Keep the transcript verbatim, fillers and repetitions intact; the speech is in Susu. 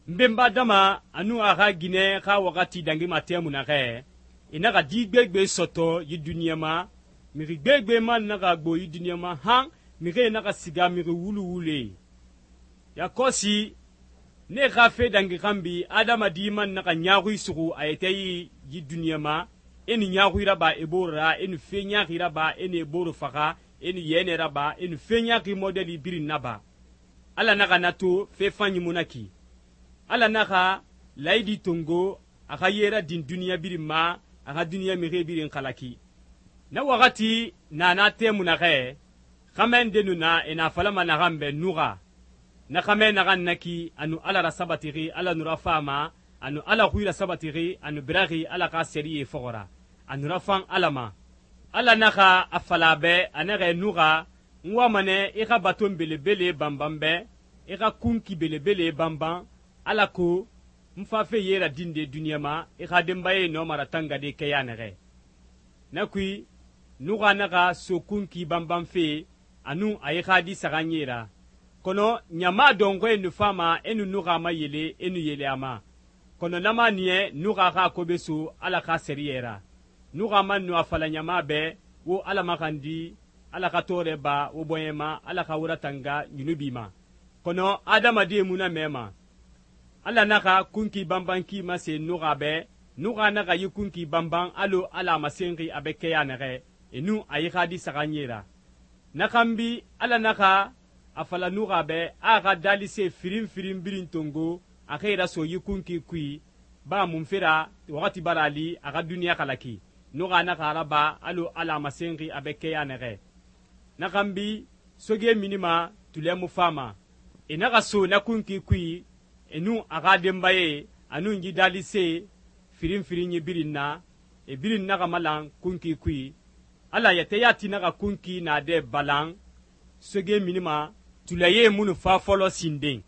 Nbenba dama anu a xa ginɛ xa waxati dangima tɛmu naxɛ, e naxa di gbegbe sɔtɔ yi duniɲa ma, mixi gbegbe man naxa gbo yi duniɲa ma han mixie naxa siga mixi wulu wule. Yakɔsi ne xa fe dangi xanbi adamadi man naxa ɲaaxui suxu a yɛtɛ yi yi duniɲa ma, e nu ɲaaxui raba e bore ra, e nu fe ɲaaxi raba, e nu e bore faxa, e nu yɛnɛ raba, e nu fe ɲaaxi modɛli birin naba. Ala naxa na to fe fanyi mu na ki. Ala naxa layidi tongo a xa ye radin duniɲa birin ma, a xa duniɲa mixie birin xalaki. Na waxati na na tɛmu naxɛ, xamɛ nde nu na e na falama naxan bɛ Nuxa. Na xamɛ naxan naki a nu Ala rasabatixi Ala nu rafama, a nu Ala xui rasabatixi a nu biraxi Ala xa sɛriyɛ fɔxɔ ra, a nu rafan Ala ma. Ala naxa a fala a bɛ a naxɛ Nuxa, n wama nɛ i xa baton belebele banban bɛ, i xa kunki belebele banban, alako n fafe ye radinde duniɲa ma i xa denbaye nɔma ratangade kɛya nɛxɛ. Na kui Nuxa naxa so kunki banban fe a nun a yi xa di saxanye ra, kɔnɔ ɲama dɔnxɔɛ nu fama e nu Nuxa ma yele e nu yele a ma, kɔnɔ na ma niya Nuxa xa kobe so Ala xa sɛriyɛ ra. Nuxa man nu a fala ɲama bɛ wo Ala maxandi, Ala xa tɔɔrɛ ba wo bɔɲɛ ma, Ala xa wo ratanga ɲunubi ma, kɔnɔ adamadie mu na mɛ ma. Ala naxa kunki banban ki mase Nuxa bɛ, Nuxa naxa yi kunki banban allo Ala a masenxi a bɛ kɛya nɛxɛ, e nun a yi xa di saxanye ra. Na xanbi Ala naxa a fala Nuxa bɛ a xa dalise firin firin birin tongo a xa raso yi kunki kui, ba mun fera waxati bara li a xa duniɲa xalaki. Nuxa naxa a raba allo Ala a masenxi a bɛ kɛya nɛxɛ. Na xanbi soge minima tulɛ mu fama, e naxa so na kunki kui, e nun a xa denbaye a nun yi dalise firin firin yi birin na, e birin naxa malan kunki kui. Ala yɛtɛ yati naxa kunki naadɛ balan soge minima tulɛye munu fa fɔlɔ sinden.